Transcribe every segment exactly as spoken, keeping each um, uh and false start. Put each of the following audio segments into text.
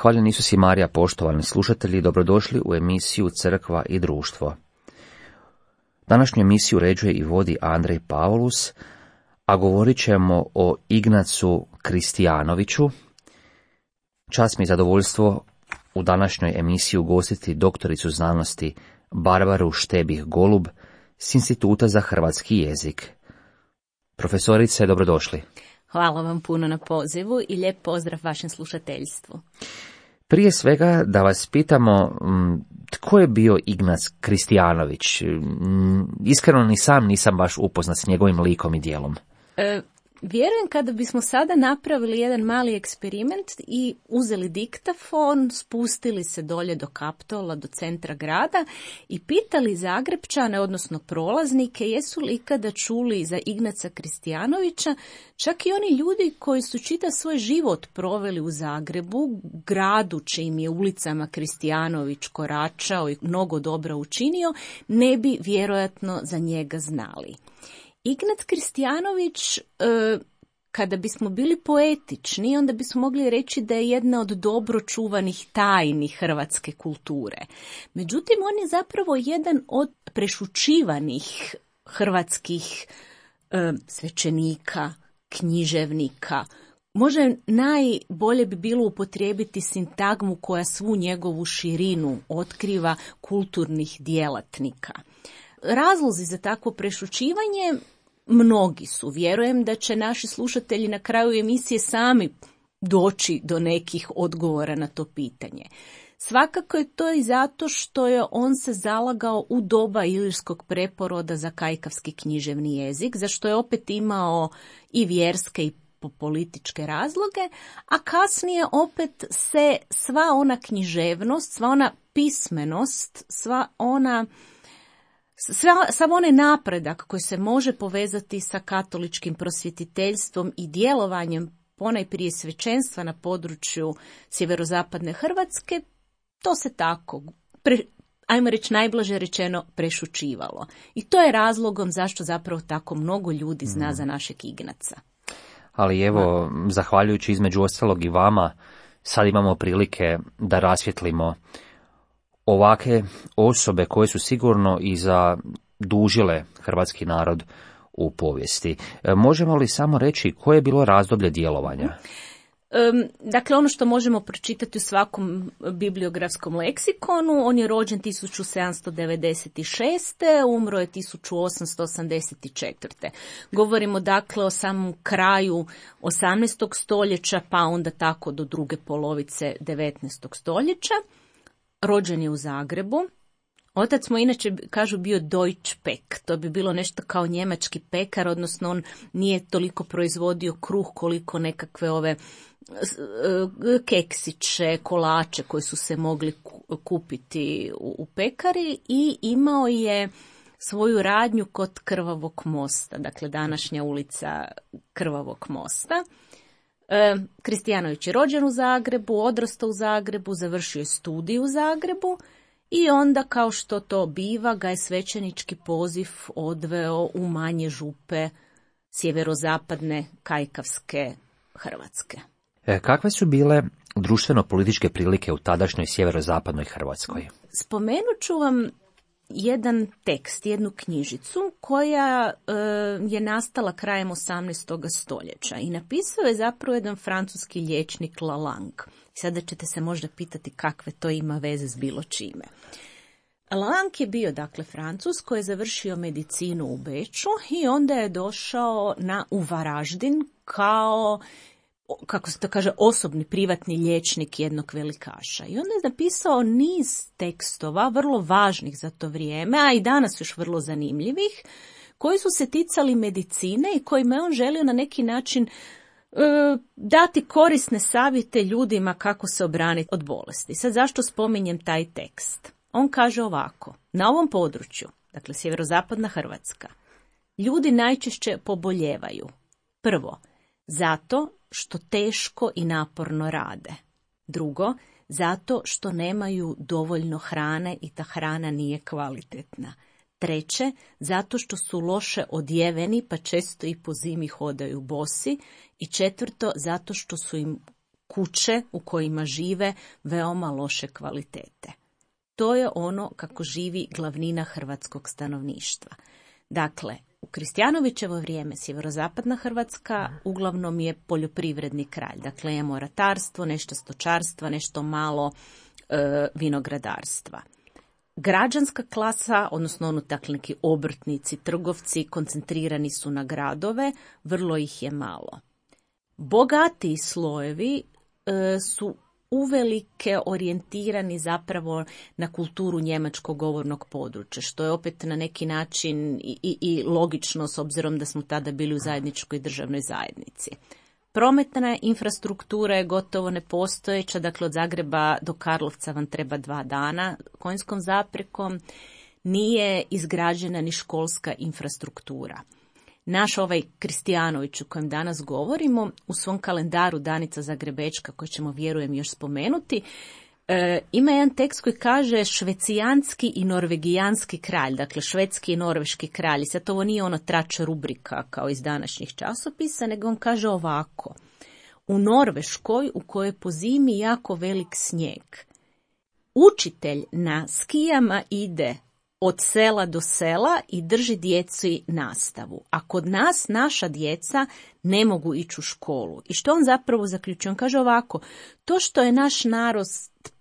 Hvaljen Isus i Marija, poštovani slušatelji, dobrodošli u emisiju Crkva i društvo. Današnju emisiju uređuje i vodi Andrej Pavlus, a govorit ćemo o Ignacu Kristijanoviću. Čast mi i zadovoljstvo u današnjoj emisiji ugostiti doktoricu znanosti Barbaru Štebih-Golub s Instituta za hrvatski jezik. Profesorice, dobrodošli. Hvala vam puno na pozivu i lijep pozdrav vašem slušateljstvu. Prije svega da vas pitamo, tko je bio Ignac Kristijanović? Iskreno ni sam nisam baš upoznat s njegovim likom i djelom. E, vjerujem kada bismo sada napravili jedan mali eksperiment i uzeli diktafon, spustili se dolje do Kaptola, do centra grada i pitali Zagrepčane, odnosno prolaznike, jesu li ikada čuli za Ignaca Kristijanovića, čak i oni ljudi koji su čitav svoj život proveli u Zagrebu, gradu čijim je ulicama Kristijanović koračao i mnogo dobra učinio, ne bi vjerojatno za njega znali. Ignat Kristijanović, e, kada bismo bili poetični, onda bismo mogli reći da je jedna od dobro čuvanih tajni hrvatske kulture. Međutim, on je zapravo jedan od prešućivanih hrvatskih e, svećenika, književnika. Možda najbolje bi bilo upotrijebiti sintagmu koja svu njegovu širinu otkriva, kulturnih djelatnika. Razlozi za takvo prešućivanje mnogi su. Vjerujem da će naši slušatelji na kraju emisije sami doći do nekih odgovora na to pitanje. Svakako je to i zato što je on se zalagao u doba ilirskog preporoda za kajkavski književni jezik, za što je opet imao i vjerske i političke razloge, a kasnije opet se sva ona književnost, sva ona pismenost, sva ona Sva, sav onaj napredak koji se može povezati sa katoličkim prosvjetiteljstvom i djelovanjem ponajprije svećenstva na području sjeverozapadne Hrvatske, to se tako, pre, ajmo reći najblaže rečeno, prešućivalo. I to je razlogom zašto zapravo tako mnogo ljudi zna za našeg Ignaca. Ali evo, zahvaljujući između ostalog i vama, sad imamo prilike da rasvjetlimo ovakve osobe koje su sigurno i zadužile hrvatski narod u povijesti. Možemo li samo reći koje je bilo razdoblje djelovanja? Dakle, ono što možemo pročitati u svakom bibliografskom leksikonu, on je rođen tisuću sedamsto devedeset šeste. umro je tisuću osamsto osamdeset četvrte. Govorimo dakle o samom kraju osamnaestog stoljeća, pa onda tako do druge polovice devetnaestog stoljeća. Rođen je u Zagrebu. Otac mu inače, kažu, bio Deutsch Pek. To bi bilo nešto kao njemački pekar, odnosno on nije toliko proizvodio kruh koliko nekakve ove keksiće, kolače koji su se mogli kupiti u pekari i imao je svoju radnju kod Krvavog mosta, dakle današnja ulica Krvavog mosta. E, Kristijanović je rođen u Zagrebu, odrastao u Zagrebu, završio je studij u Zagrebu i onda, kao što to biva, ga je svećenički poziv odveo u manje župe sjeverozapadne kajkavske Hrvatske. E, kakve su bile društveno-političke prilike u tadašnjoj sjeverozapadnoj Hrvatskoj? Spomenut ću vam jedan tekst, jednu knjižicu koja e, je nastala krajem osamnaestog stoljeća i napisao je zapravo jedan francuski liječnik Lalande. Sada ćete se možda pitati kakve to ima veze s bilo čime. Lalande je bio dakle Francuz koji je završio medicinu u Beču i onda je došao na u Varaždin kao, kako se to kaže, osobni privatni liječnik jednog velikaša. I onda je napisao niz tekstova, vrlo važnih za to vrijeme, a i danas još vrlo zanimljivih, koji su se ticali medicine i kojima je on želio na neki način e, dati korisne savjete ljudima kako se obraniti od bolesti. Sad zašto spominjem taj tekst? On kaže ovako: na ovom području, dakle sjeverozapadna Hrvatska, ljudi najčešće poboljevaju. Prvo, zato što teško i naporno rade. Drugo, zato što nemaju dovoljno hrane i ta hrana nije kvalitetna. Treće, zato što su loše odjeveni pa često i po zimi hodaju bosi. I četvrto, zato što su im kuće u kojima žive veoma loše kvalitete. To je ono kako živi glavnina hrvatskog stanovništva. Dakle, u Kristijanovićevo vrijeme sjeverozapadna Hrvatska uglavnom je poljoprivredni kraj. Dakle, imamo ratarstvo, nešto stočarstva, nešto malo e, vinogradarstva. Građanska klasa, odnosno ono dakle neki obrtnici, trgovci, koncentrirani su na gradove, vrlo ih je malo. Bogatiji slojevi e, su uvelike orijentirani zapravo na kulturu njemačkog govornog područja, što je opet na neki način i, i, i logično s obzirom da smo tada bili u zajedničkoj državnoj zajednici. Prometna infrastruktura je gotovo nepostojeća, dakle od Zagreba do Karlovca vam treba dva dana konjskom zaprekom, nije izgrađena ni školska infrastruktura. Naš ovaj Kristijanović o kojem danas govorimo, u svom kalendaru Danica Zagrebečka, koju ćemo vjerujem još spomenuti, e, ima jedan tekst koji kaže švecijanski i norvegijanski kralj, dakle švedski i norveški kralj. I sad ovo nije ono trača rubrika kao iz današnjih časopisa, nego on kaže ovako. U Norveškoj, u kojoj je po zimi jako velik snijeg, učitelj na skijama ide od sela do sela i drži djeci nastavu. A kod nas naša djeca ne mogu ići u školu. I što on zapravo zaključuje? On kaže ovako, to što je naš narod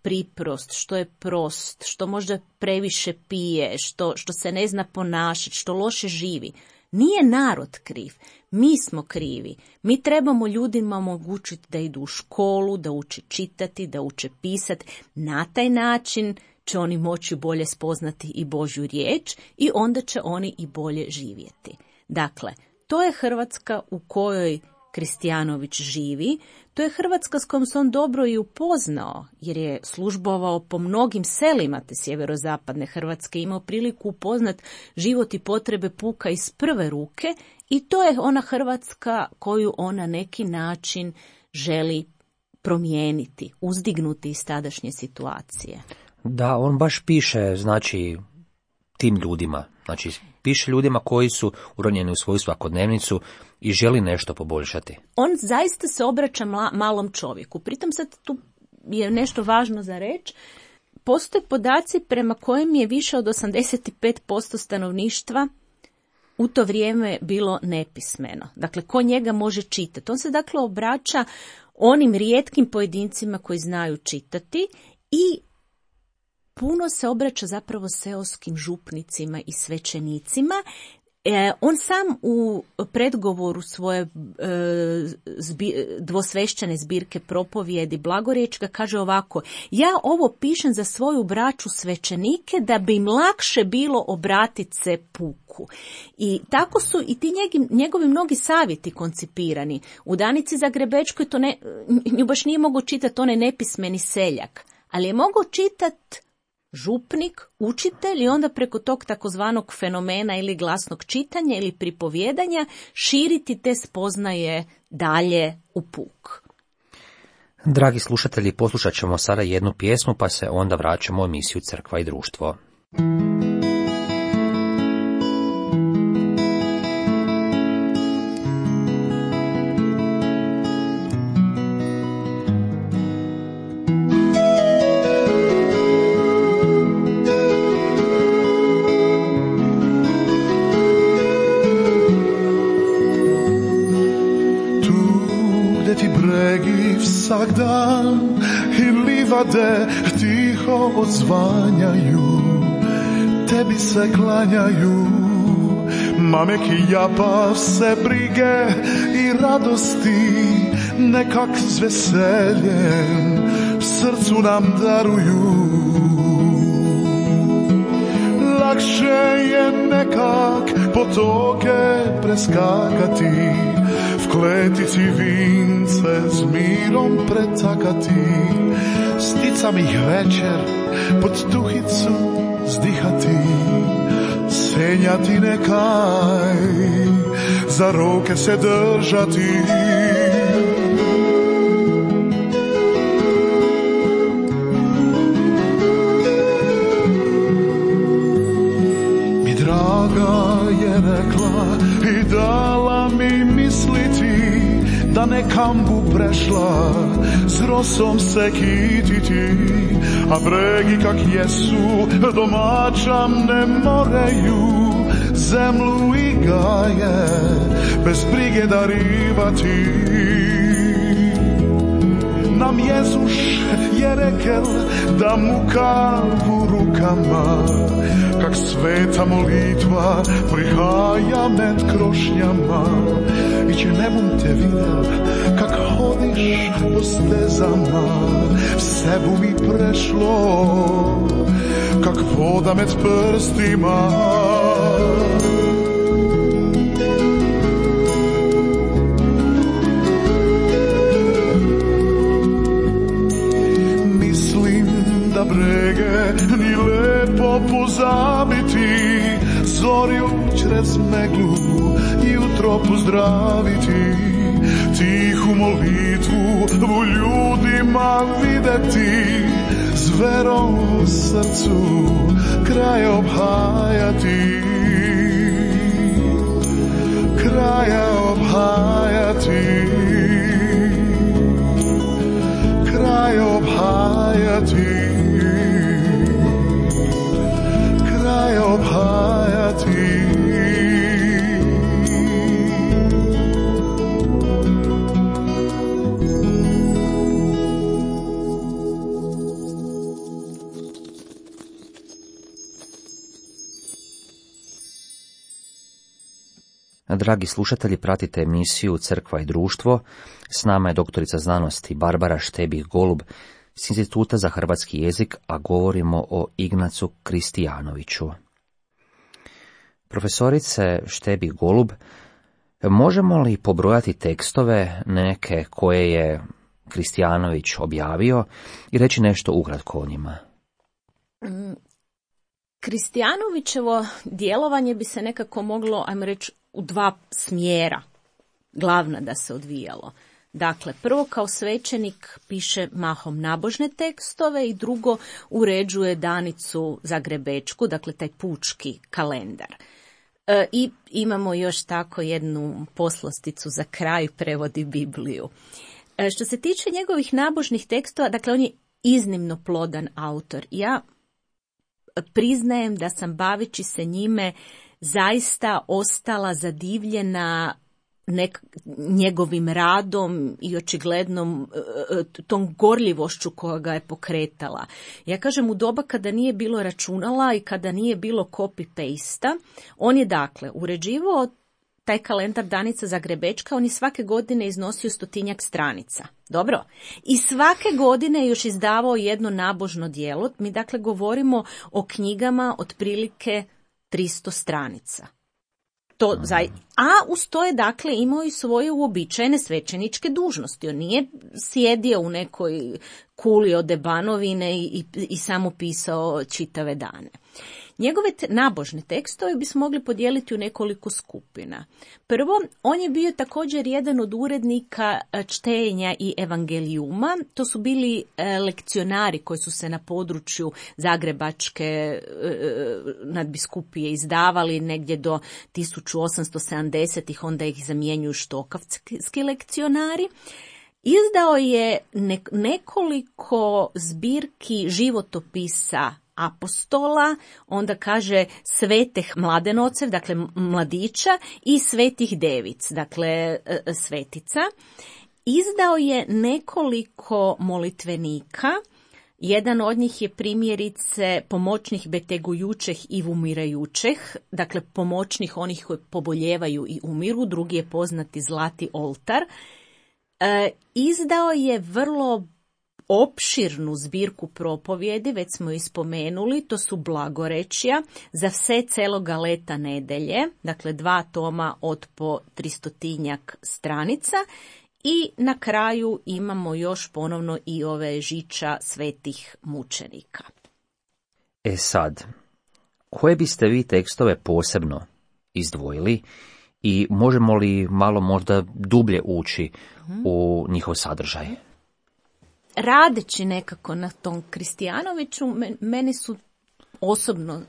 priprost, što je prost, što možda previše pije, što, što se ne zna ponašati, što loše živi, nije narod kriv. Mi smo krivi. Mi trebamo ljudima omogućiti da idu u školu, da uče čitati, da uče pisati. Na taj način će oni moći bolje spoznati i Božju riječ i onda će oni i bolje živjeti. Dakle, to je Hrvatska u kojoj Kristijanović živi, to je Hrvatska s kojom se on dobro i upoznao, jer je službovao po mnogim selima te sjeverozapadne Hrvatske, imao priliku upoznat život i potrebe puka iz prve ruke i to je ona Hrvatska koju on na neki način želi promijeniti, uzdignuti iz tadašnje situacije. Da, on baš piše, znači, tim ljudima, znači, piše ljudima koji su uronjeni u svoju svakodnevnicu i želi nešto poboljšati. On zaista se obraća mla, malom čovjeku. Pritom sad tu je nešto važno za reći. Postoje podaci prema kojim je više od osamdeset pet posto stanovništva u to vrijeme bilo nepismeno. Dakle, ko njega može čitati? On se dakle obraća onim rijetkim pojedincima koji znaju čitati i puno se obraća zapravo seoskim župnicima i svećenicima. E, on sam u predgovoru svoje e, zbi, dvosvešćane zbirke propovijedi Blagorječka kaže ovako, ja ovo pišem za svoju braću svećenike da bi im lakše bilo obratiti se puku. I tako su i ti njegi, njegovi mnogi savjeti koncipirani. U Danici Zagrebečkoj to ne, nju baš nije mogao čitati onaj nepismeni seljak, ali je mogao čitati župnik, učitelj i onda preko tog takozvanog fenomena ili glasnog čitanja ili pripovjedanja širiti te spoznaje dalje u puk. Dragi slušatelji, poslušat ćemo sada jednu pjesmu pa se onda vraćamo u emisiju Crkva i društvo. Vsak dan i livade tiho odzvanjaju, tebi se klanjaju, mameki japav se brige i radosti nekak s veseljem srcu nam daruju. Lakše je nekak potoke preskakati, v kletici vince s mirom pretakati, sticam ih večer pod tuhicu zdihati, senjati nekaj, za ruke se držati. Mi draga je rekla i dala mi misliti da ne kambu prešla, s rosom se kititi, a bregi kak jesu, domaćam ne moreju, zemlju i gaje, bez brige darivati. Nam Jezuš je rekel da mu kavu rukama, kak sveta molitva prihaja med krošnjama. I če ne bom te videl, kak hodiš po stezama, vse bu mi prešlo, kak voda med prstima. Brege ni lepo pozabiti, zorju čez meglu jutro pozdraviti, tihu molitvu u ljudima videti, s verom u srcu kraj obhajati, kraja obhajati, kraj obhajati. Kraj obhajati. Dragi slušatelji, pratite emisiju Crkva i društvo. S nama je doktorica znanosti Barbara Štebih-Golub s Instituta za hrvatski jezik, a govorimo o Ignacu Kristijanoviću. Profesorice Štebih-Golub, možemo li pobrojati tekstove neke koje je Kristijanović objavio i reći nešto ukratko o njima? Kristijanovićevo djelovanje bi se nekako moglo, ajmo reći, u dva smjera glavna da se odvijalo. Dakle, prvo kao svećenik piše mahom nabožne tekstove i drugo uređuje danicu zagrebečku, dakle taj pučki kalendar. E, I imamo još tako jednu poslasticu za kraj, prevodi Bibliju. E, što se tiče njegovih nabožnih tekstova, dakle on je iznimno plodan autor. Ja priznajem da sam baveći se njime zaista ostala zadivljena nek, njegovim radom i očiglednom tom gorljivošću koja ga je pokretala. Ja kažem, u doba kada nije bilo računala i kada nije bilo copy-pasta, on je dakle uređivao taj kalendar danica zagrebečka, on je svake godine iznosio stotinjak stranica. Dobro. I svake godine je još izdavao jedno nabožno djelo. Mi dakle govorimo o knjigama otprilike tristo stranica. To za... A uz to je dakle imao i svoje uobičajene svećeničke dužnosti. On nije sjedio u nekoj kuli od Banovine i, i, i samo pisao čitave dane. Njegove te, nabožne tekstove bismo mogli podijeliti u nekoliko skupina. Prvo, on je bio također jedan od urednika čtenja i evangelijuma. To su bili e, lekcionari koji su se na području Zagrebačke e, nadbiskupije izdavali negdje do tisuću osamsto sedamdesetih, onda ih zamjenjuju štokavski lekcionari. Izdao je ne, nekoliko zbirki životopisa apostola, onda kaže svetih mladenocev, dakle mladića, i svetih devic, dakle svetica. Izdao je nekoliko molitvenika. Jedan od njih je primjerice pomoćnih betegujućeh i umirajućeh, dakle pomoćnih onih koji poboljevaju i umiru. Drugi je poznati Zlati oltar. E, izdao je vrlo opširnu zbirku propovjedi, već smo i spomenuli, to su blagorečja za sve celoga leta nedelje, dakle dva toma od po tristotinjak stranica, i na kraju imamo još ponovno i ove žiča svetih mučenika. E sad, koje biste vi tekstove posebno izdvojili i možemo li malo možda dublje ući mm-hmm. u njihov sadržaj? Radeći nekako na tom Kristijanoviću, meni su osobno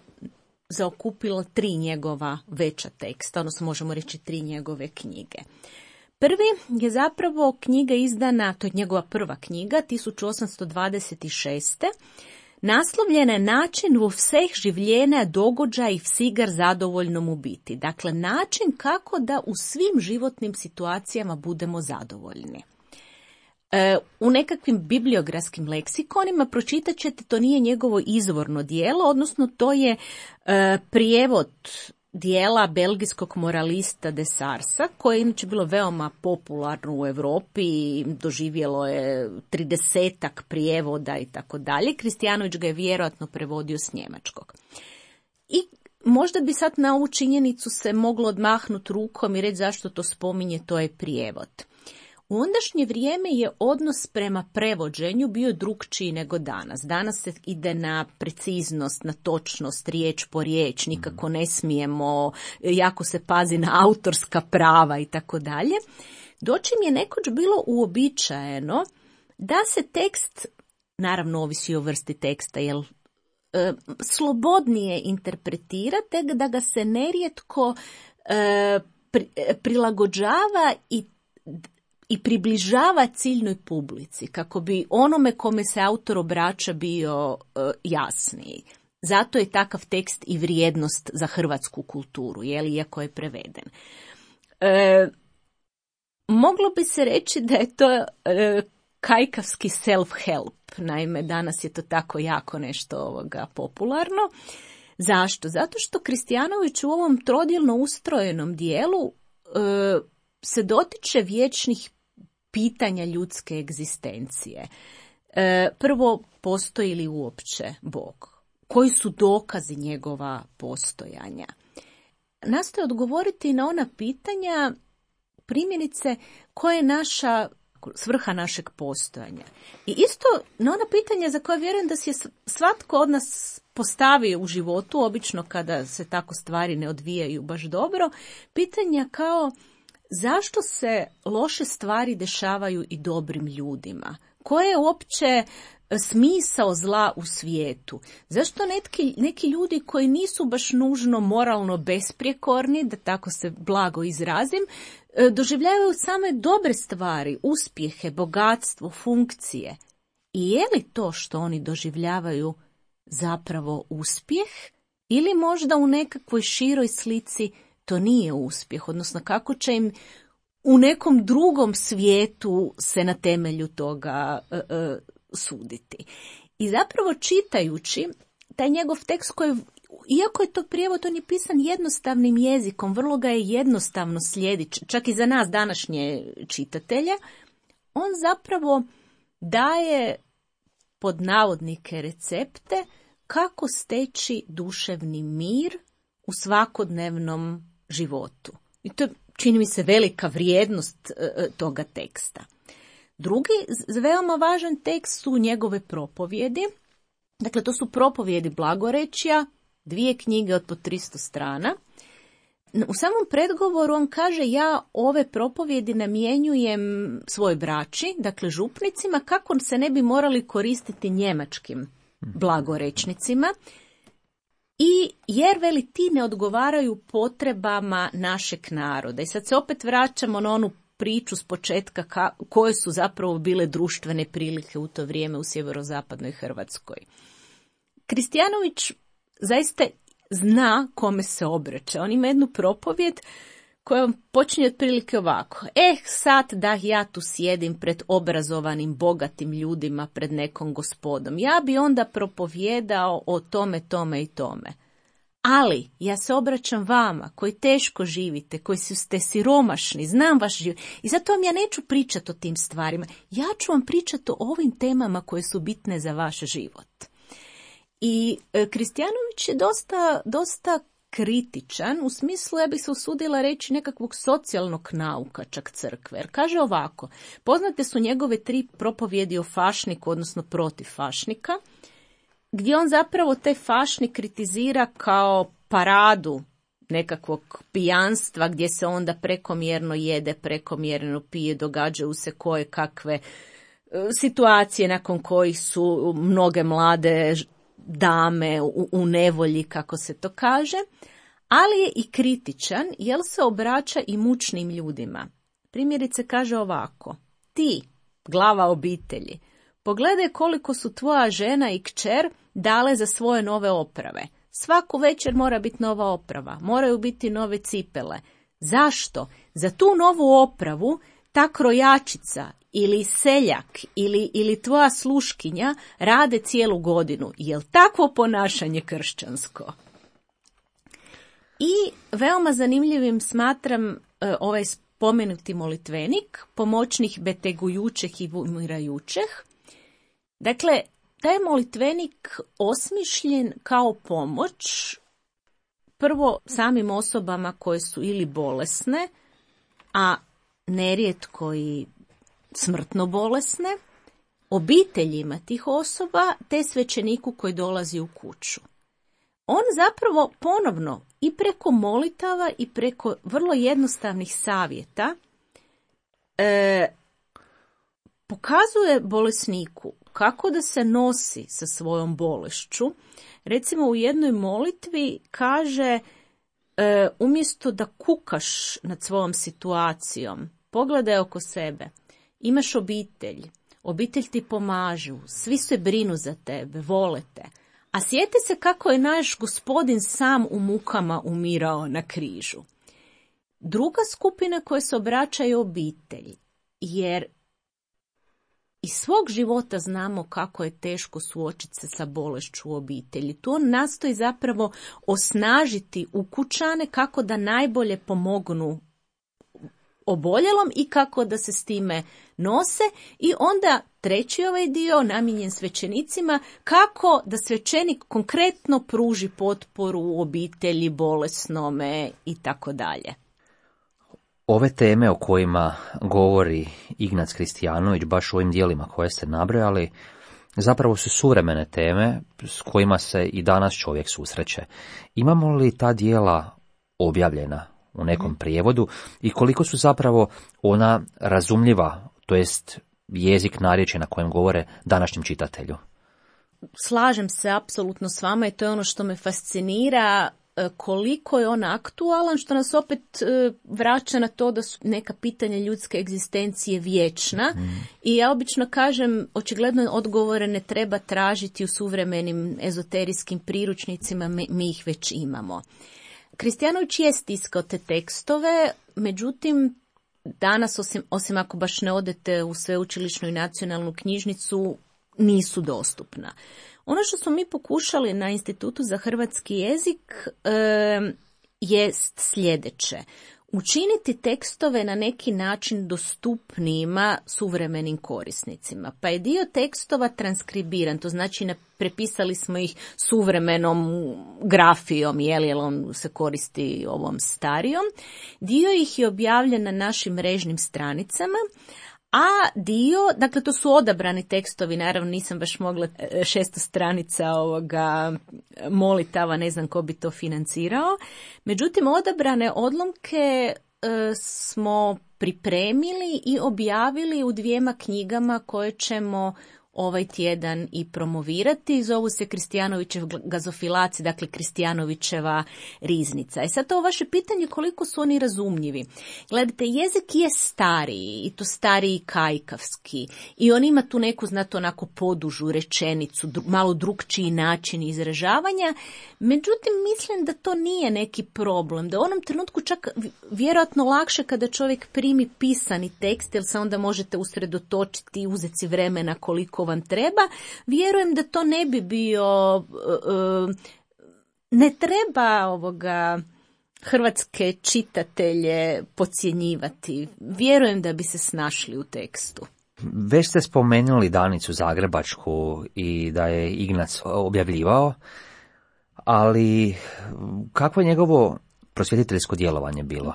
zaokupila tri njegova veća teksta, odnosno možemo reći tri njegove knjige. Prvi je zapravo knjiga izdana, to je njegova prva knjiga, tisuću osamsto dvadeset šeste. Naslovljena je Način vo vseh življenja događaj vsigar zadovoljno mu biti. Dakle, način kako da u svim životnim situacijama budemo zadovoljni. E, u nekakvim bibliografskim leksikonima pročitat ćete, to nije njegovo izvorno dijelo, odnosno to je e, prijevod dijela belgijskog moralista de Sarsa, koje je inače bilo veoma popularno u Europi i doživjelo je tridesetak prijevoda i tako dalje. Kristijanović ga je vjerojatno prevodio s njemačkog. I možda bi sad na ovu činjenicu se moglo odmahnuti rukom i reći zašto to spominje, to je prijevod. U ondašnje vrijeme je odnos prema prevođenju bio drukčiji nego danas. Danas se ide na preciznost, na točnost, riječ po riječ, nikako ne smijemo, jako se pazi na autorska prava i tako dalje. Dočim je nekoć bilo uobičajeno da se tekst, naravno ovisi o vrsti teksta, jel e, slobodnije interpretira, tek da ga se nerijetko e, pri, prilagođava i i približava ciljnoj publici, kako bi onome kome se autor obraća bio uh, jasniji. Zato je takav tekst i vrijednost za hrvatsku kulturu, jel, iako je preveden. E, moglo bi se reći da je to e, kajkavski self-help, naime danas je to tako jako nešto ovoga popularno. Zašto? Zato što Kristijanović u ovom trodjelno ustrojenom dijelu e, se dotiče vječnih pitanja ljudske egzistencije. E, prvo, postoji li uopće Bog? Koji su dokazi njegova postojanja? Nastoje odgovoriti na ona pitanja, primjerice, koja je naša svrha našeg postojanja. I isto na ona pitanja za koje vjerujem da si je svatko od nas postavio u životu, obično kada se tako stvari ne odvijaju baš dobro, pitanja kao zašto se loše stvari dešavaju i dobrim ljudima? Koje je uopće smisao zla u svijetu? Zašto neki, neki ljudi koji nisu baš nužno moralno besprijekorni, da tako se blago izrazim, doživljavaju same dobre stvari, uspjehe, bogatstvo, funkcije? I je li to što oni doživljavaju zapravo uspjeh? Ili možda u nekakvoj široj slici to nije uspjeh, odnosno kako će im u nekom drugom svijetu se na temelju toga e, e, suditi. I zapravo čitajući taj njegov tekst koji, iako je to prijevod, on je pisan jednostavnim jezikom, vrlo ga je jednostavno slijediti, čak i za nas današnje čitatelje, on zapravo daje pod navodnike recepte kako steći duševni mir u svakodnevnom životu. I to je, čini mi se, velika vrijednost e, toga teksta. Drugi veoma važan tekst su njegove propovjedi. Dakle, to su propovjedi blagorečja, dvije knjige od po tristo strana. U samom predgovoru on kaže: ja ove propovjedi namjenjujem svoj braći, dakle župnicima, kako se ne bi morali koristiti njemačkim blagorečnicima. I jer, veli, ti ne odgovaraju potrebama našeg naroda. I sad se opet vraćamo na onu priču s početka ka, koje su zapravo bile društvene prilike u to vrijeme u sjeverozapadnoj Hrvatskoj. Kristijanović zaista zna kome se obraća. On ima jednu propovjed koja počinje otprilike ovako: eh, sad da ja tu sjedim pred obrazovanim, bogatim ljudima, pred nekom gospodom, ja bi onda propovjedao o tome, tome i tome. Ali ja se obraćam vama koji teško živite, koji ste siromašni, znam vaš život i zato vam ja neću pričati o tim stvarima. Ja ću vam pričati o ovim temama koje su bitne za vaš život. I e, Kristijanović je dosta, dosta kritičan, u smislu, ja bih se usudila reći, nekakvog socijalnog nauka čak crkve. Jer kaže ovako: poznate su njegove tri propovjedi o fašniku, odnosno protiv fašnika, gdje on zapravo te fašnik kritizira kao paradu nekakvog pijanstva, gdje se onda prekomjerno jede, prekomjerno pije, događaju se koje kakve situacije nakon kojih su mnoge mlade dame u, u nevolji, kako se to kaže, ali je i kritičan jer se obraća i mučnim ljudima. Primjerice kaže ovako: ti, glava obitelji, pogledaj koliko su tvoja žena i kćer dale za svoje nove oprave. Svaku večer mora biti nova oprava, moraju biti nove cipele. Zašto? Za tu novu opravu ta krojačica ili seljak ili, ili tvoja sluškinja rade cijelu godinu. Jel takvo ponašanje kršćansko? I veoma zanimljivim smatram e, ovaj spomenuti molitvenik, pomoćnih betegujućeh i umirajućeh. Dakle, taj molitvenik osmišljen kao pomoć prvo samim osobama koje su ili bolesne, a nerijetko i smrtno bolesne, obiteljima tih osoba, te svećeniku koji dolazi u kuću. On zapravo ponovno i preko molitava i preko vrlo jednostavnih savjeta e, pokazuje bolesniku kako da se nosi sa svojom bolešću. Recimo u jednoj molitvi kaže e, umjesto da kukaš nad svojom situacijom, pogledaj oko sebe. Imaš obitelj, obitelj ti pomažu, svi se brinu za tebe, vole te. A sjeti se kako je naš Gospodin sam u mukama umirao na križu. Druga skupina koja se obraća je obitelj, jer iz svog života znamo kako je teško suočiti se sa bolešću u obitelji. Tu on nastoji zapravo osnažiti ukućane kako da najbolje pomognu oboljelom i kako da se s time nose. I onda treći ovaj dio namijenjen svećenicima, kako da svećenik konkretno pruži potporu u obitelji, bolesnome i tako dalje. Ove teme o kojima govori Ignác Kristijanović, baš u ovim dijelima koje ste nabrojali, zapravo su suvremene teme s kojima se i danas čovjek susreće. Imamo li ta dijela objavljena u nekom prijevodu i koliko su zapravo ona razumljiva, to jest jezik narječja na kojem govore današnjem čitatelju? Slažem se apsolutno s vama i to je ono što me fascinira, koliko je on aktualan, što nas opet vraća na to da su neka pitanja ljudske egzistencije vječna. Mm. I ja obično kažem, očigledno odgovore ne treba tražiti u suvremenim ezoterijskim priručnicima, mi, mi ih već imamo. Kristijanović je stiskao te tekstove, međutim, danas, osim, osim ako baš ne odete u sveučilišnu i nacionalnu knjižnicu, nisu dostupna. Ono što smo mi pokušali na Institutu za hrvatski jezik e, jest sljedeće. Učiniti tekstove na neki način dostupnijima suvremenim korisnicima. Pa je dio tekstova transkribiran, to znači ne prepisali smo ih suvremenom grafijom, jer on se koristi ovom starijom. Dio ih je objavljen na našim mrežnim stranicama, a dio, dakle to su odabrani tekstovi, naravno nisam baš mogla šesto stranica ovoga molitava, ne znam ko bi to financirao. Međutim, odabrane odlomke e, smo pripremili i objavili u dvijema knjigama koje ćemo ovaj tjedan i promovirati. Zovu se Kristijanovićev gazofilaci, dakle Kristijanovićeva riznica. E sad to vaše pitanje koliko su oni razumljivi. Gledajte, jezik je stariji i to stariji kajkavski i on ima tu neku, znate, onako podužu rečenicu, dru, malo drukčiji način izražavanja. Međutim, mislim da to nije neki problem, da u onom trenutku čak vjerojatno lakše kada čovjek primi pisani tekst, jer se onda možete usredotočiti i uzeti si vremena koliko vam treba. Vjerujem da to ne bi bio, ne treba ovoga hrvatske čitatelje podcjenjivati. Vjerujem da bi se snašli u tekstu. Već ste spomenuli Danicu Zagrebačku i da je Ignác objavljivao, ali kakvo je njegovo prosvjetiteljsko djelovanje bilo?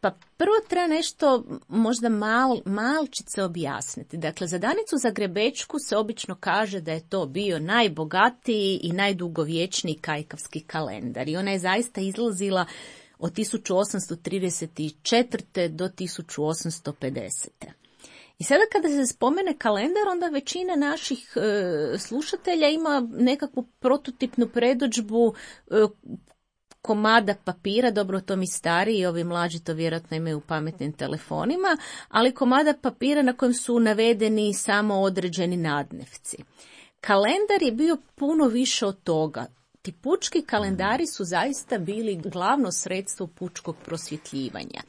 Pa prvo treba nešto možda mal, malčice objasniti. Dakle, za Danicu Zagrebečku se obično kaže da je to bio najbogatiji i najdugovječniji kajkavski kalendar. I ona je zaista izlazila od tisuću osamsto trideset četvrte do tisuću osamsto pedesete. I sada kada se spomene kalendar, onda većina naših e, slušatelja ima nekakvu prototipnu predodžbu e, komada papira, dobro to mi stariji i ovi mlađi to vjerojatno imaju u pametnim telefonima, ali komada papira na kojem su navedeni samo određeni nadnevci. Kalendar je bio puno više od toga. Ti pučki kalendari su zaista bili glavno sredstvo pučkog prosvjetljivanja.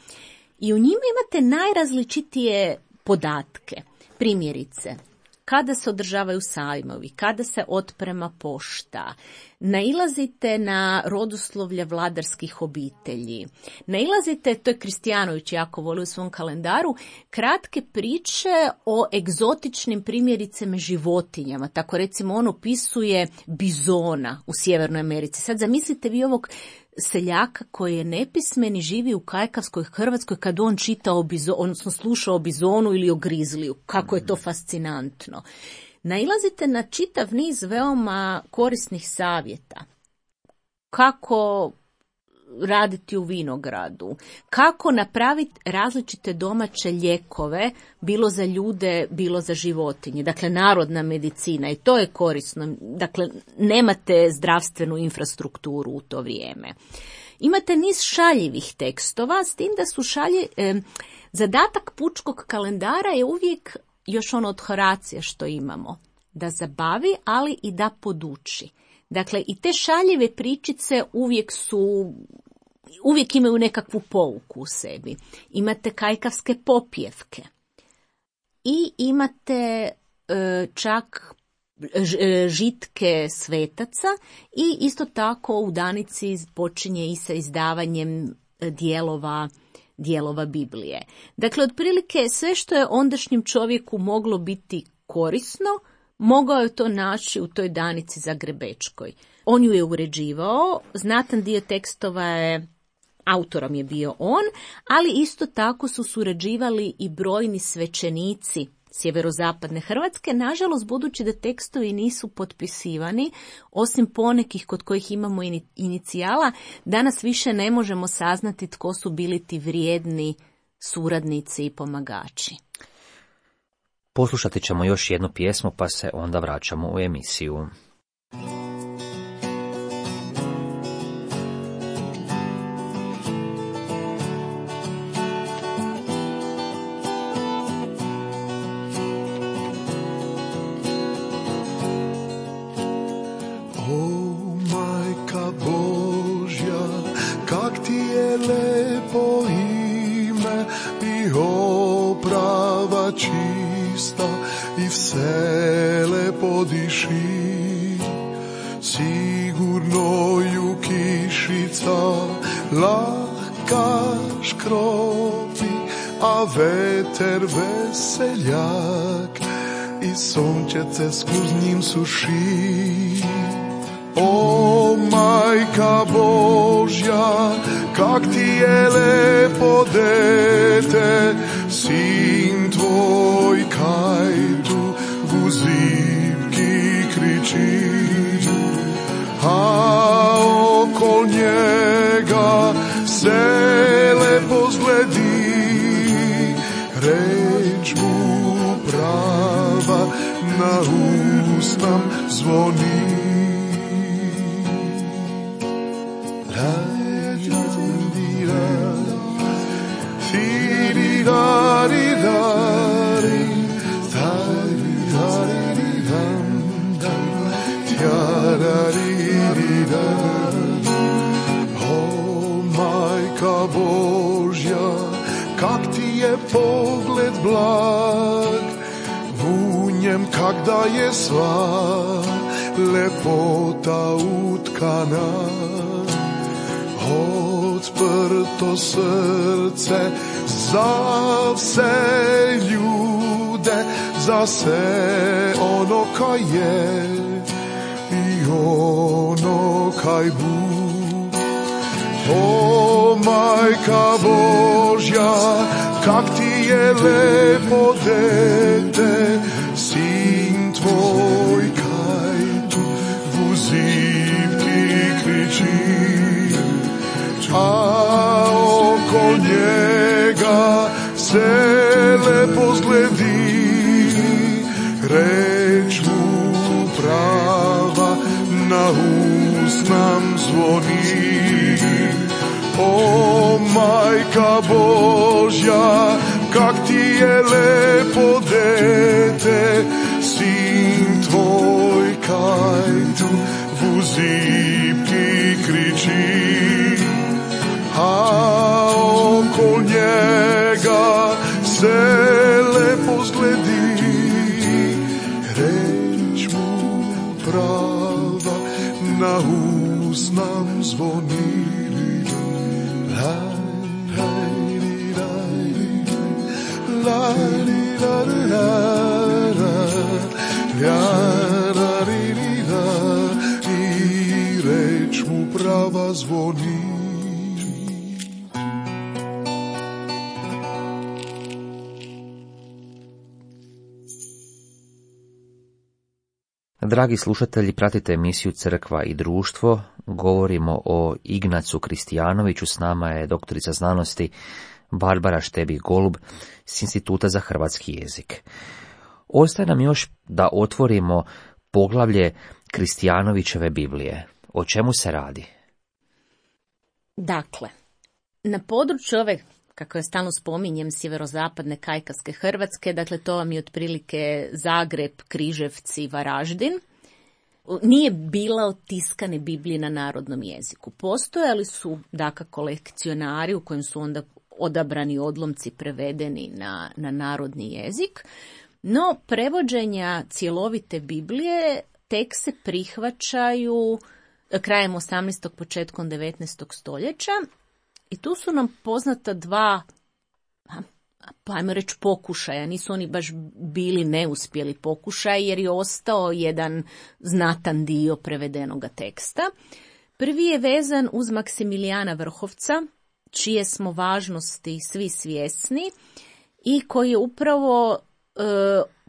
I u njima imate najrazličitije podatke. Primjerice, kada se održavaju sajmovi, kada se otprema pošta, nailazite na rodoslovlja vladarskih obitelji, nailazite, to je Kristijanović jako voli u svom kalendaru, kratke priče o egzotičnim primjericama životinjama. Tako recimo on opisuje bizona u Sjevernoj Americi. Sad zamislite vi ovog seljaka koji je nepismen i živi u kajkavskoj Hrvatskoj kad on čita o bizonu, odnosno sluša o bizonu ili o grizliju. Kako je to fascinantno. Nailazite na čitav niz veoma korisnih savjeta. Kako raditi u vinogradu, kako napraviti različite domaće lijekove, bilo za ljude, bilo za životinje. Dakle, narodna medicina i to je korisno. Dakle, nemate zdravstvenu infrastrukturu u to vrijeme. Imate niz šaljivih tekstova, s tim da su šalje... Eh, zadatak pučkog kalendara je uvijek još ono od Horacija što imamo, da zabavi, ali i da poduči. Dakle, i te šaljive pričice uvijek su, uvijek imaju nekakvu pouku u sebi. Imate kajkavske popjevke i imate e, čak žitke svetaca i isto tako u Danici počinje i sa izdavanjem dijelova dijelova Biblije. Dakle, otprilike sve što je ondašnjem čovjeku moglo biti korisno, mogao je to naći u toj Danici zagrebečkoj. On ju je uređivao, znatan dio tekstova je, autorom je bio on, ali isto tako su surađivali i brojni svećenici sjeverozapadne Hrvatske. Nažalost, budući da tekstovi nisu potpisivani, osim ponekih kod kojih imamo inicijala, danas više ne možemo saznati tko su bili ti vrijedni suradnici i pomagači. Poslušati ćemo još jednu pjesmu, pa se onda vraćamo u emisiju. Čista i vsele podiši, sigurno ju kišica lahka škropi, a veter veseljak i sunčece skuz njim suši. O majka Božja, kak ti je lepo dete, sin tvoj kaj tu v zibki kriči, a okol njega se lepo zgledi, reč mu prava na ustam zvoni. O majka Božja, kak ti je pogled blag, v njem kak da je sva lepota utkana, odprto srce za vse ljude, za vse ono kaj je i ono kaj bu. O majka Božja, kak ti je lepo dete, sin tvoj kaj tu v zibki kriči, a oko njega se lepo zgledi, reč mu prava na nam zvoni. O Majka Božja, kak ti je lepo dete, sin tvoj kaj tu v zipki kriči. A okol njega se lepo zgledi, reč mu prava na ust nam zvoni. I reč mu prava zvoni. Dragi slušatelji, pratite emisiju Crkva i društvo. Govorimo o Ignacu Kristijanoviću. S nama je doktorica znanosti Barbara Štebih-Golub s Instituta za hrvatski jezik. Ostaje nam još da otvorimo poglavlje Kristijanovićeve Biblije. O čemu se radi? Dakle, na području ove, kako je stalno spominjem, sjeverozapadne kajkavske Hrvatske, dakle to vam je otprilike Zagreb, Križevci, Varaždin, nije bila tiskane Biblije na narodnom jeziku. Postojali su, dakako, lekcionari u kojem su onda odabrani odlomci prevedeni na, na narodni jezik, no prevođenja cjelovite Biblije tek se prihvaćaju krajem osamnaestog. početkom devetnaestog. stoljeća i tu su nam poznata dva, pa ajmo reći, pokušaja. Nisu oni baš bili neuspjeli pokušaj jer je ostao jedan znatan dio prevedenoga teksta. Prvi je vezan uz Maksimilijana Vrhovca, čije smo važnosti svi svjesni i koji je upravo e,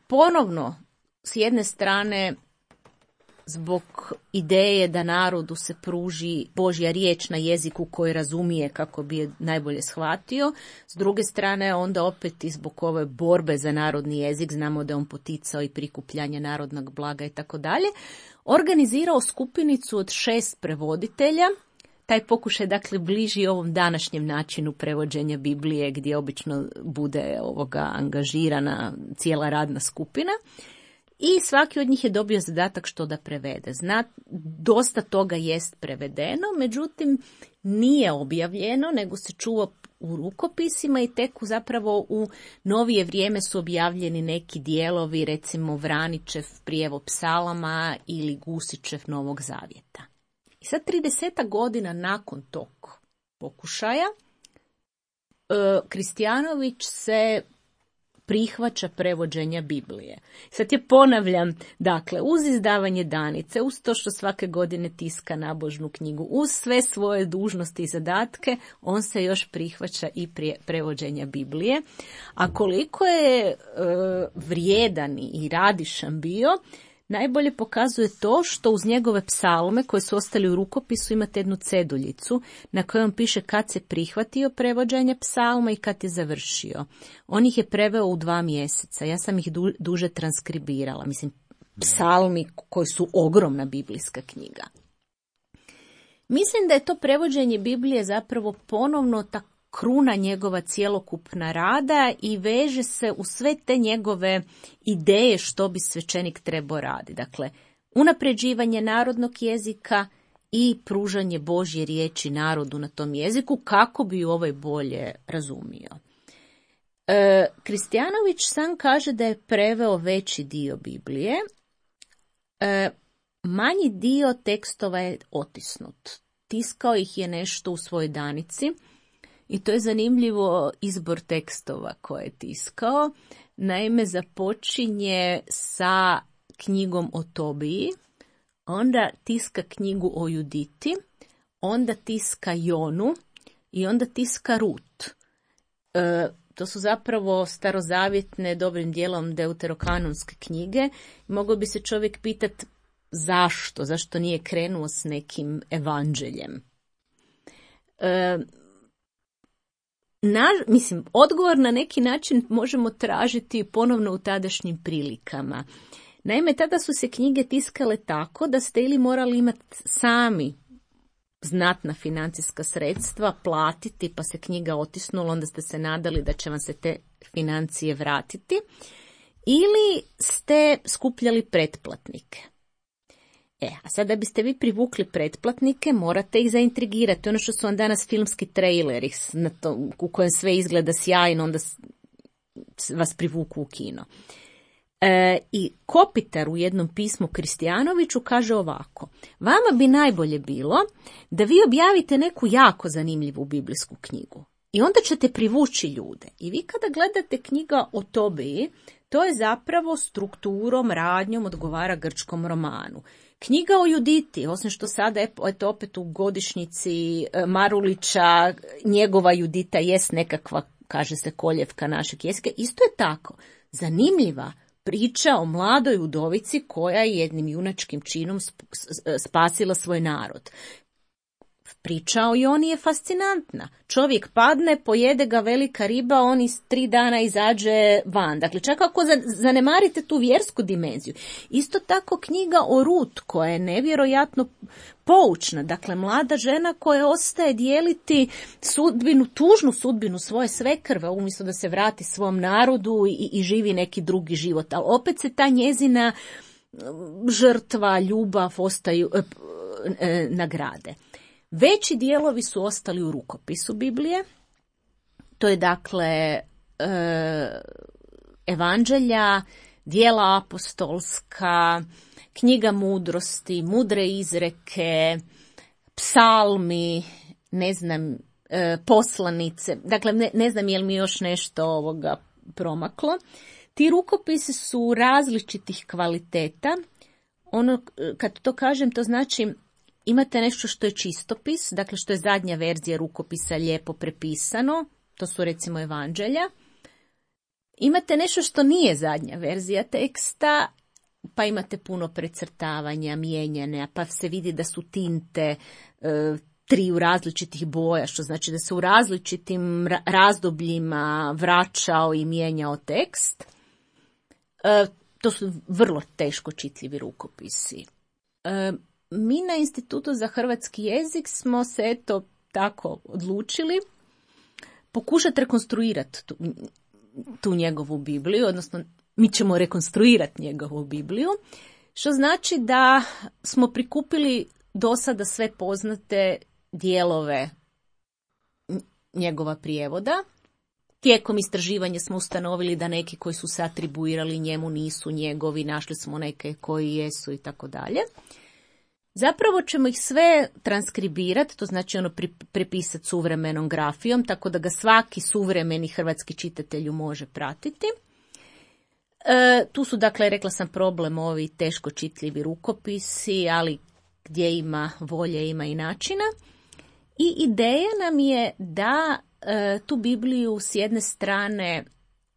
ponovno s jedne strane zbog ideje da narodu se pruži Božja riječ na jeziku koji razumije kako bi je najbolje shvatio, s druge strane onda opet i zbog ove borbe za narodni jezik, znamo da je on poticao i prikupljanje narodnog blaga i tako dalje, organizirao skupinicu od šest prevoditelja. Taj pokušaj dakle bliži ovom današnjem načinu prevođenja Biblije gdje obično bude ovoga angažirana cijela radna skupina. I svaki od njih je dobio zadatak što da prevede. Zna, dosta toga jest prevedeno, međutim nije objavljeno, nego se čuva u rukopisima i tek zapravo u novije vrijeme su objavljeni neki dijelovi, recimo Vranićev prijevod psalama ili Gusićev Novog zavjeta. I sad tridesetak godina nakon tog pokušaja, Kristijanović se prihvaća prevođenja Biblije. Sad je ponavljam, dakle, uz izdavanje Danice, uz to što svake godine tiska nabožnu knjigu, uz sve svoje dužnosti i zadatke, on se još prihvaća i prije prevođenja Biblije. A koliko je e, vrijedan i radišan bio, najbolje pokazuje to što uz njegove psalme koje su ostali u rukopisu imate jednu ceduljicu na kojoj piše kad se prihvatio prevođenje psalma i kad je završio. On ih je preveo u dva mjeseca. Ja sam ih du, duže transkribirala. Mislim, psalmi koji su ogromna biblijska knjiga. Mislim da je to prevođenje Biblije zapravo ponovno ta kruna njegova cjelokupna rada i veže se u sve te njegove ideje što bi svećenik trebao raditi. Dakle, unapređivanje narodnog jezika i pružanje Božje riječi narodu na tom jeziku kako bi ju ovaj bolje razumio. E, Kristijanović sam kaže da je preveo veći dio Biblije. E, manji dio tekstova je otisnut. Tiskao ih je nešto u svojoj Danici. I to je zanimljivo izbor tekstova koje je tiskao. Naime, započinje sa knjigom o Tobiji, onda tiska knjigu o Juditi, onda tiska Jonu i onda tiska Rut. E, to su zapravo starozavjetne, dobrim dijelom deuterokanonske knjige. Mogao bi se čovjek pitati zašto, zašto nije krenuo s nekim evanđeljem. E, Na, mislim, odgovor na neki način možemo tražiti ponovno u tadašnjim prilikama. Naime, tada su se knjige tiskale tako da ste ili morali imati sami znatna financijska sredstva platiti, pa se knjiga otisnula, onda ste se nadali da će vam se te financije vratiti, ili ste skupljali pretplatnike. E, a sad da biste vi privukli pretplatnike, morate ih zaintrigirati. Ono što su vam danas filmski traileri na to, u kojem sve izgleda sjajno, onda vas privuku u kino. E, I Kopitar u jednom pismu Kristijanoviću kaže ovako: vama bi najbolje bilo da vi objavite neku jako zanimljivu biblijsku knjigu i onda ćete privući ljude. I vi kada gledate knjiga o Tobiji, to je zapravo strukturom, radnjom odgovara grčkom romanu. Knjiga o Juditi, osim što sada je opet u godišnjici Marulića, njegova Judita jest nekakva, kaže se, koljevka našeg jezika, isto je tako zanimljiva priča o mladoj udovici koja je jednim junačkim činom spasila svoj narod. Priča o Joni je fascinantna. Čovjek padne, pojede ga velika riba, on iz tri dana izađe van. Dakle, čak ako zanemarite tu vjersku dimenziju. Isto tako knjiga o Rut, koja je nevjerojatno poučna. Dakle, mlada žena koja ostaje dijeliti sudbinu, tužnu sudbinu svoje svekrve, umjesto da se vrati svom narodu i, i živi neki drugi život. Ali opet se ta njezina žrtva, ljubav ostaju e, e, nagrade. Veći dijelovi su ostali u rukopisu Biblije. To je dakle e, evanđelja, djela apostolska, knjiga mudrosti, mudre izreke, psalmi, ne znam, e, poslanice. Dakle, ne, ne znam je li mi još nešto ovoga promaklo. Ti rukopisi su različitih kvaliteta. Ono, kad to kažem, to znači imate nešto što je čistopis, dakle što je zadnja verzija rukopisa lijepo prepisano, to su recimo evanđelja. Imate nešto što nije zadnja verzija teksta, pa imate puno precrtavanja, mijenjanja, pa se vidi da su tinte e, tri u različitih boja, što znači da se u različitim razdobljima vraćao i mijenjao tekst. E, to su vrlo teško čitljivi rukopisi. E, Mi na Institutu za hrvatski jezik smo se eto tako odlučili pokušati rekonstruirati tu, tu njegovu Bibliju, odnosno mi ćemo rekonstruirati njegovu Bibliju, što znači da smo prikupili do sada sve poznate dijelove njegova prijevoda. Tijekom istraživanja smo ustanovili da neki koji su se atribuirali njemu nisu njegovi, našli smo neke koji jesu i tako dalje. Zapravo ćemo ih sve transkribirati, to znači ono prepisati suvremenom grafijom, tako da ga svaki suvremeni hrvatski čitatelju može pratiti. E, tu su, dakle, rekla sam, problem ovi teško čitljivi rukopisi, ali gdje ima volje, ima i načina. I ideja nam je da e, tu Bibliju s jedne strane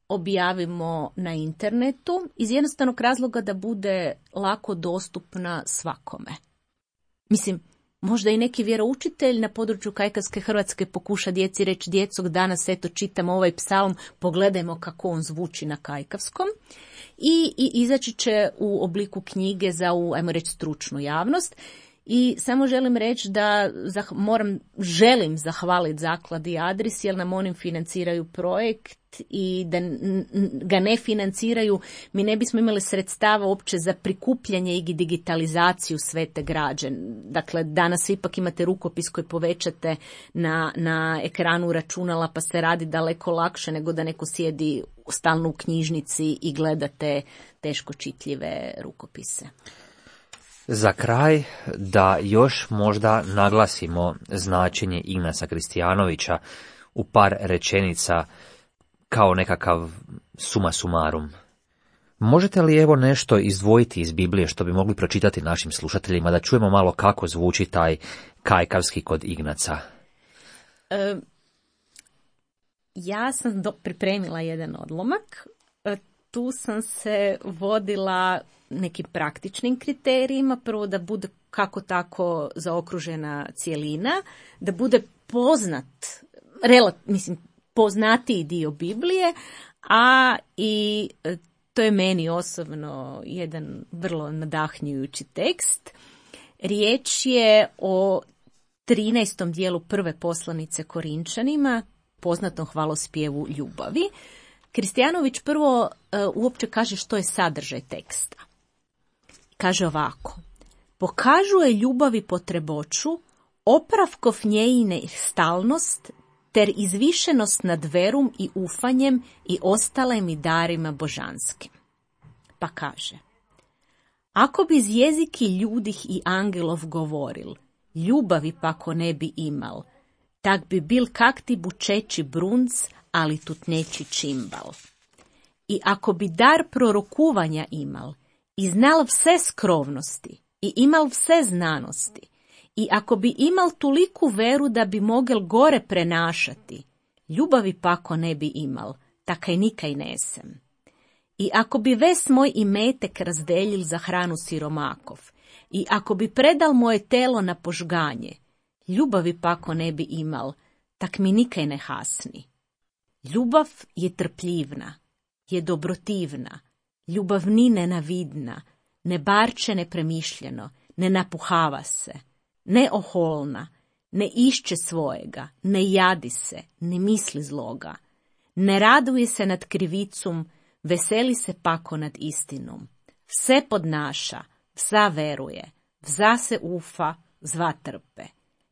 objavimo na internetu iz jednostavnog razloga da bude lako dostupna svakome. Mislim, možda i neki vjeroučitelj na području kajkavske Hrvatske pokuša djeci reći: djecog, danas eto čitamo ovaj psalm, pogledajmo kako on zvuči na kajkavskom. I, i izaći će u obliku knjige za, u, ajmo reći, stručnu javnost. I samo želim reći da zah, moram, želim zahvaliti zakladi Adris, jer nam oni financiraju projekt, i da ga ne financiraju mi ne bismo imali sredstava uopće za prikupljanje i digitalizaciju sve te građe. Dakle, danas ipak imate rukopis koji povećate na, na ekranu računala, pa se radi daleko lakše nego da neko sjedi stalno u knjižnici i gledate teško čitljive rukopise. Za kraj, da još možda naglasimo značenje Ignasa Kristijanovića u par rečenica kao nekakav suma sumarum. Možete li evo nešto izdvojiti iz Biblije što bi mogli pročitati našim slušateljima, da čujemo malo kako zvuči taj kajkavski kod Ignaca? E, ja sam do, pripremila jedan odlomak. E, tu sam se vodila nekim praktičnim kriterijima. Prvo, da bude kako tako zaokružena cjelina, da bude poznat, relat, mislim, poznatiji dio Biblije, a i to je meni osobno jedan vrlo nadahnjujući tekst. Riječ je o trinaestom dijelu prve poslanice Korinčanima, poznatom hvalospjevu ljubavi, Kristijanović prvo e, uopće kaže što je sadržaj teksta. Kaže ovako: pokažuje ljubavi potreboću, opravkov njejine stalnost, ter izvišenost nad verum i ufanjem i ostalim i darima božanskim. Pa kaže: ako bi z jeziki ljudih i angelov govoril, ljubavi pako ne bi imal, tak bi bil kak ti bučeći brunc, ali tutneći čimbal. I ako bi dar prorokuvanja imal, i znal vse skrovnosti, i imal vse znanosti, i ako bi imal toliku veru da bi mogel gore prenašati, ljubavi pako ne bi imal, takaj nikaj nesem. I ako bi ves moj imetek razdeljil za hranu siromakov, i ako bi predal moje telo na požganje, ljubavi pako ne bi imal, tak mi nikaj ne hasni. Ljubav je trpljivna, je dobrotivna, ljubav ni nenavidna, ne barče nepremišljeno, ne napuhava se, ne oholna, ne išče svojega, ne jadi se, ne misli zloga, ne raduje se nad krivicom, veseli se pako nad istinom, vse podnaša, vsa veruje, vza se ufa, zva trpe.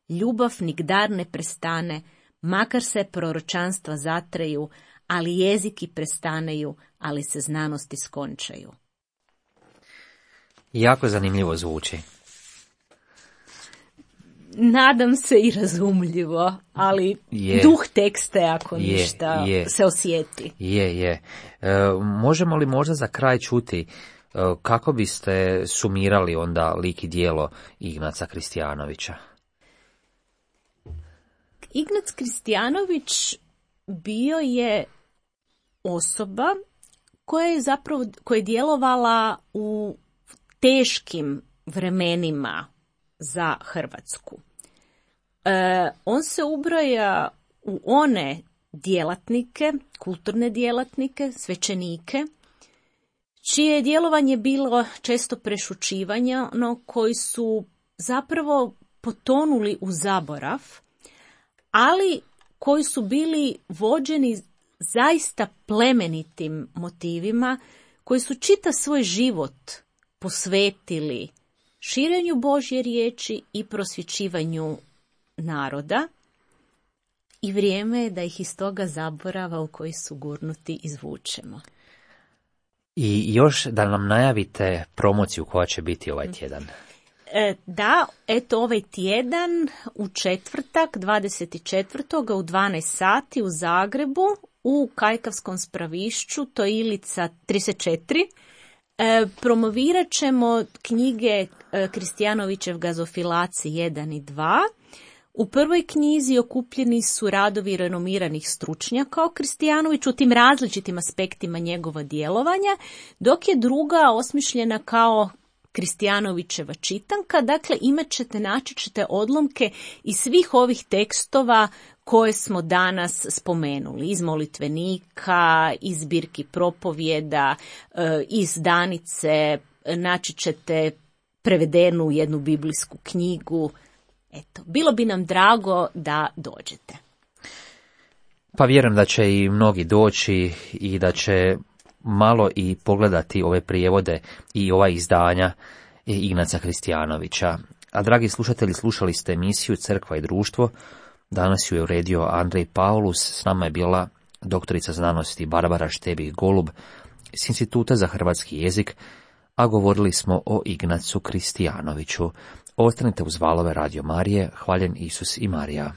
Ljubav nikdar ne prestane, makar se proročanstva zatreju, ali jeziki prestaneju, ali se znanosti skončaju. Jako zanimljivo zvuči. Nadam se i razumljivo, ali je. Duh teksta je ako je, ništa je. se osjeti. Je, je. E, možemo li možda za kraj čuti e, kako biste sumirali onda lik i djelo Ignaca Kristijanovića? Ignac Kristijanović bio je osoba koja je zapravo koja je djelovala u teškim vremenima za Hrvatsku. E, on se ubraja u one djelatnike, kulturne djelatnike, svećenike, čije je djelovanje bilo često prešućivanja, no koji su zapravo potonuli u zaborav, ali koji su bili vođeni zaista plemenitim motivima, koji su čitav svoj život posvetili širenju Božje riječi i prosvjećivanju naroda, i vrijeme je da ih iz toga zaborava u koji su gurnuti izvučemo. I još da nam najavite promociju koja će biti ovaj tjedan. E, da, eto ovaj tjedan u četvrtak, dvadeset četvrtog u dvanaest sati u Zagrebu, u Kajkavskom spravišću, to je Ilica trideset četiri, e, promovirat ćemo knjige e, Kristijanovićev Gazofilaci jedan i dva. U prvoj knjizi okupljeni su radovi renomiranih stručnjaka o Kristijanoviću u tim različitim aspektima njegova djelovanja, dok je druga osmišljena kao Kristijanovićeva čitanka. Dakle, imat ćete, naći ćete odlomke iz svih ovih tekstova koje smo danas spomenuli, iz molitvenika, iz zbirki propovjeda, iz Danice, naći ćete prevedenu jednu biblijsku knjigu. Eto, bilo bi nam drago da dođete. Pa vjerujem da će i mnogi doći i da će malo i pogledati ove prijevode i ova izdanja Ignaca Kristijanovića. A dragi slušatelji, slušali ste emisiju Crkva i društvo. Danas ju je uredio Andrej Paulus, s nama je bila doktorica znanosti Barbara Štebih-Golub s Instituta za hrvatski jezik, a govorili smo o Ignacu Kristijanoviću. Ostanite uz valove Radio Marije, hvaljen Isus i Marija.